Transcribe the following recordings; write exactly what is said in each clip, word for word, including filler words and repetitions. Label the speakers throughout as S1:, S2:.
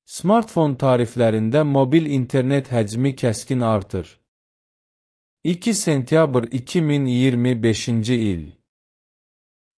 S1: Smartfon tariflərində mobil internet həcmi kəskin artır. iki sentyabr iki min iyirmi beşinci il.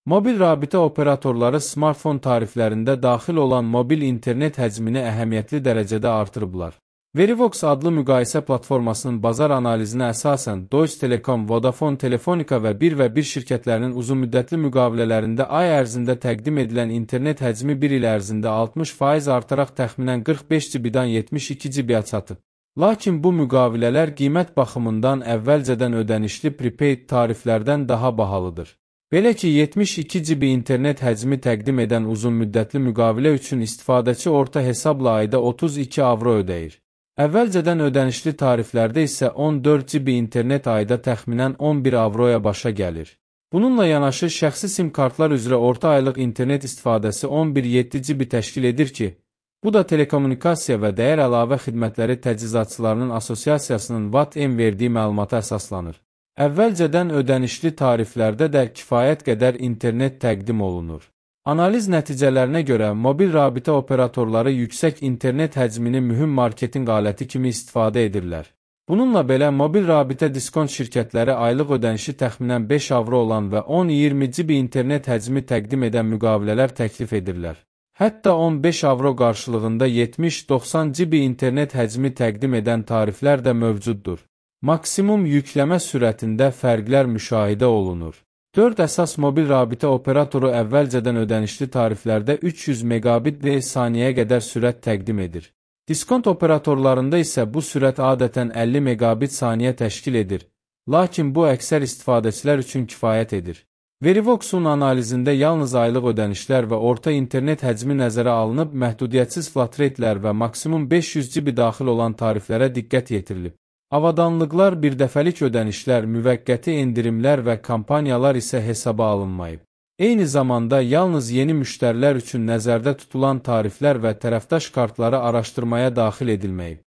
S1: Mobil rabitə operatorları smartfon tariflərində daxil olan mobil internet həcmini əhəmiyyətli dərəcədə artırıblar. Verivox adlı müqayisə platformasının bazar analizinə əsasən Deutsche Telekom, Vodafone, Telefonica və bir və bir şirkətlərinin uzunmüddətli müqavilələrində ay ərzində təqdim edilən internet həcmi bir il ərzində altmış faiz artaraq təxminən qırx beş gigabaytdan yetmiş iki gigabayta çatıb. Lakin bu müqavilələr qiymət baxımından əvvəlcədən ödənişli prepaid tariflərdən daha bahalıdır. Belə ki, yetmiş iki gigabayt internet həcmi təqdim edən uzunmüddətli müqavilə üçün istifadəçi orta hesabla ayda otuz iki avro ödəyir. Əvvəlcədən ödənişli tariflərdə isə on dörd gigabayt internet ayda təxminən on bir avroya başa gəlir. Bununla yanaşı, şəxsi sim kartlar üzrə orta aylıq internet istifadəsi on bir nöqtə yeddi gigabayt təşkil edir ki, bu da Telekommunikasiya və Dəyər Əlavə Xidmətləri Təchizatçılarının Assosiasiyasının V A T M verdiyi məlumata əsaslanır. Əvvəlcədən ödənişli tariflərdə də kifayət qədər internet təqdim olunur. Analiz nəticələrinə görə mobil rabitə operatorları yüksək internet həcmini mühüm marketinq aləti kimi istifadə edirlər. Bununla belə mobil rabitə diskont şirkətləri aylıq ödənişi təxminən beş avro olan və on iyirmi gigabayt internet həcmi təqdim edən müqavilələr təklif edirlər. Hətta on beş avro qarşılığında yetmiş doxsan gigabayt internet həcmi təqdim edən tariflər də mövcuddur. Maksimum yükləmə sürətində fərqlər müşahidə olunur. dörd əsas mobil rabitə operatoru əvvəlcədən ödənişli tariflərdə üç yüz megabit saniyəyə qədər sürət təqdim edir. Diskont operatorlarında isə bu sürət adətən əlli megabit saniyə təşkil edir, lakin bu əksər istifadəçilər üçün kifayət edir. Verivox'un analizində yalnız aylıq ödənişlər və orta internet həcmi nəzərə alınıb, məhdudiyyətsiz flat rate'lər və maksimum beş yüz gigabayt daxil olan tariflərə diqqət yetirilib. Avadanlıqlar, birdəfəlik ödənişlər, müvəqqəti endirimlər və kampaniyalar isə hesaba alınmayıb. Eyni zamanda yalnız yeni müştərilər üçün nəzərdə tutulan tariflər və tərəfdaş kartları araşdırmaya daxil edilməyib.